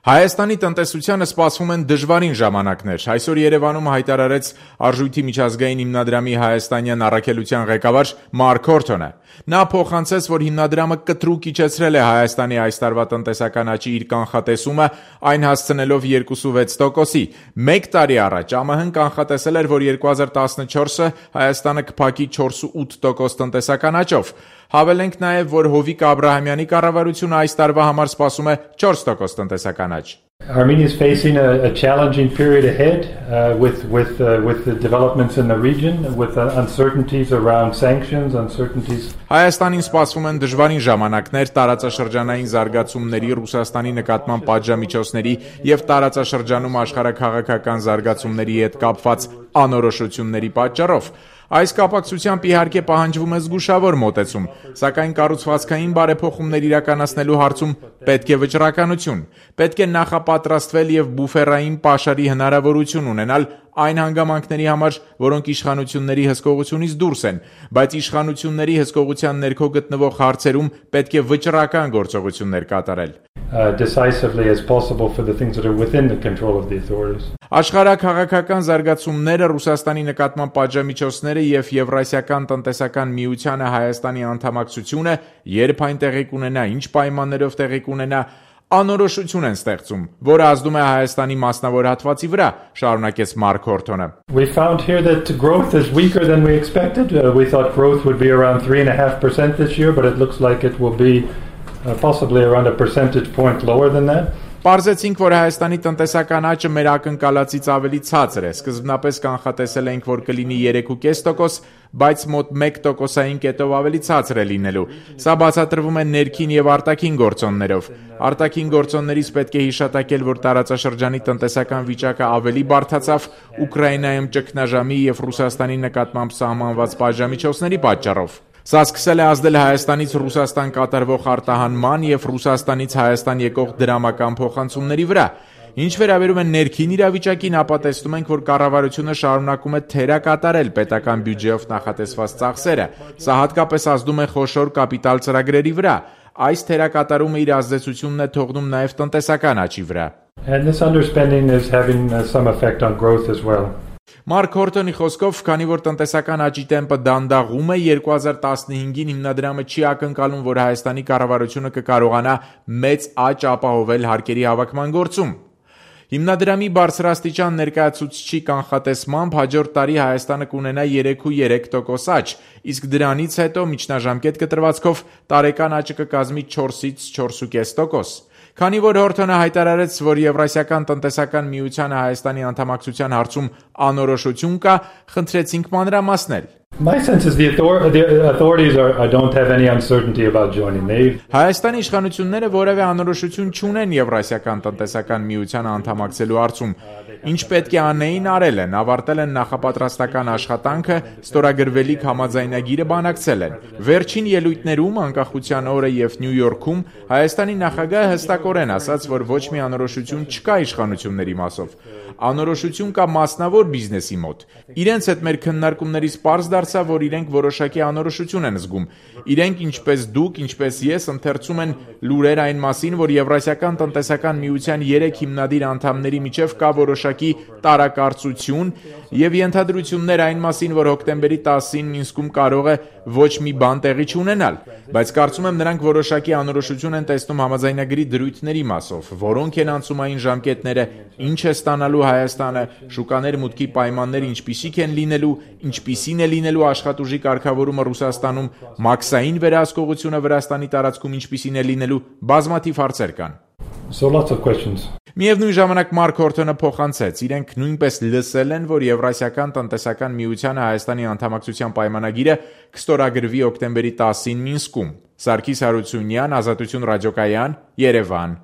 Հայաստանի տնտեսությանը սպասվում են դժվարին ժամանակներ։ Այսօր Երևանում հայտարարեց Արժույթի միջազգային հիմնադրամի հայաստանյան առաքելության ղեկավար Մարկ Հորթոնը։ Նա փոխանցեց, որ հիմնադրամը կտրուկ իջեցրել է Հայաստանի այս տարվա տնտեսական աճի իր կանխատեսումը, այն հասցնելով 2.6%-ի։ Մեկ տարի առաջ ԱՄՀ-ն կանխատեսել էր, որ 2014-ը Հայաստանը կփակի 4.8% տնտեսական աճով։ Հավելենք նաև, որ Հովիկ Աբրահամյանի կառավարությունը այս տարվա համար սպասում է 4% տնտեսական աճ։ Armenia is facing a challenging period ahead with the developments in the region, with uncertainties around sanctions, uncertainties. Հայաստանին սպասվում են դժվարին ժամանակներ տարածաշրջանային զարգացումների, Ռուսաստանի նկատմամբ պատժամիջոցների եւ տարածաշրջանում աշխարհաքաղաքական զարգացումների հետ կապված անորոշությունների պատճառով։ Այս կապակցությամբ իհարկե պահանջվում է զգուշավոր մոտեցում, սակայն կառուցվածքային բարեփոխումներ իրականացնելու հարցում պետք է վճռականություն, պետք է նախապատրաստվել եւ բուֆերային պաշարի հնարավորություն ունենալ այն հանգամանքների համար, որոնք իշխանությունների հսկողությունից դուրս են, բայց իշխանությունների հսկողության ներքո գտնվող հարցերում պետք է վճռական գործողություններ կատարել։ Decisively as possible for the things that are within the control of the authorities. Աշխարհաքաղաքական զարգացումները, Ռուսաստանի նկատմամբ պատժամիջոցները եւ Եվրասիական տնտեսական միությանը Հայաստանի անդամակցությունը, երբ այն տեղի կունենա, ինչ պայմաններով տեղի կունենա, անորոշություն են ստեղծում, որը ազդում է Հայաստանի մասնավոր հատվածի վրա, շարունակեց Մարկ Հորթոնը։ We found here that growth is weaker than we expected. We thought growth would be around 3.5% this year, but it looks like it will be possibly around a percentage point lower than that. Պարզեցինք, որ Հայաստանի տնտեսական աճը մեր ակնկալածից ավելի ցածր է։ Սկզբնապես կանխատեսել էինք, որ կլինի 3.5%, բայց մոտ 1%-ային կետով ավելի ցածր է լինելու։ Սա բացատրվում է ներքին եւ արտաքին գործոններով։ Արտաքին գործոններից պետք է հիշատակել, որ տարածաշրջանի տնտեսական վիճակը ավելի բարդացավ Ուկրաինայում ճգնաժամի եւ Ռուսաստանի նկատմամբ սահմանված պատժամիջոցների պատճառով։ Սա սկսել է ազդել Հայաստանից Ռուսաստան կատարվող արտահանման եւ Ռուսաստանից Հայաստան եկող դրամական փոխանցումների վրա։ Ինչ վերաբերում է ներքին իրավիճակին, ապա տեսնում ենք, որ կառավարությունը շարունակում է թերակատարել պետական բյուջեով նախատեսված ծախսերը։ Սա հատկապես ազդում է խոշոր կապիտալ ծրագրերի վրա։ Այս թերակատարումը իր ազդեցությունն է թողնում նաև տնտեսական աճի վրա։ And this underspending is having some effect on growth as well. Մարկ Հորթոնի խոսքով, քանի որ տնտեսական աճի տեմպը դանդաղում է, 2015-ին հիմնադրամը չի ակնկալում, որ Հայաստանի կառավարությունը կկարողանա մեծ աճ ապահովել հարկերի հավաքման գործում։ Հիմնադրամի բարձրաստիճան ներկայացուցիչի կանխատեսմամբ հաջորդ տարի Հայաստանը կունենա 3.3% աճ, իսկ դրանից հետո միջնաժամկետ կտրվածքով տարեկան աճը կկազմի 4-ից 4.5%։ Քանի որ Հորթոնը հայտարարեց, որ Եվրասիական տնտեսական միությանը Հայաստանի անդամակցության հարցում անորոշություն կա, խնդրեցինք մանրամասնել։ My sense is the authorities don't have any uncertainty about joining. Հայաստանի իշխանությունները որևէ անորոշություն չունեն Եվրասիական տնտեսական միությանը անդամակցելու հարցում։ Ինչ պետք է անեին, արել են, ավարտել են նախապատրաստական աշխատանքը, ստորագրվելիք համաձայնագիրը բանակցել են։ Վերջին ելույթներում անկախության օրը եւ Նյու Յորքում Հայաստանի նախագահը հստակորեն ասաց, որ ոչ մի անորոշություն չկա իշխանությունների մասով։ Անորոշություն կա մասնավոր բիզնեսի մոտ։ Իրենց հետ մեր քննարկումներից պարզ դարձավ, որ իրենք որոշակի անորոշություն են զգում։ Իրենք, ինչպես դուք, ինչպես ես, ընթերցում են լուրեր այն մասին, որ Եվրասիական տնտեսական միության 3 հիմնադիր անդամների միջև կա որոշակի տարակարծություն եւ ենթադրություններ այն մասին, որ հոկտեմբերի 10-ին Մինսկում կարող է ոչ մի բան տեղի չունենալ, բայց կարծում եմ նրանք որոշակի անորոշություն են տեսնում համաձայնագրի դրույթների մասով, որոնք են անցումային ժամկետները, ինչ է ստանալու Հայաստանը, շուկաներ մուտքի պայմանները ինչպիսիք են լինելու, ինչպիսին է լինելու աշխատուժի կարգավորումը Ռուսաստանում, մաքսային վերահսկողությունը Վրաստանի տարածքում ինչպիսին է լինելու, բազմաթիվ հարցեր կան։ So lots of questions. Միևնույն ժամանակ Մարկ Հորթոնը փոխանցեց, իրենք նույնպես լսել են, որ Եվրասիական տնտեսական միությանը Հայաստանի անդամակցության պայմանագիրը կստորագրվի հոկտեմբերի 10-ին Մինսկում։ Սարգիս Հարությունյան, Ազատություն ռադիոկայան, Երևան։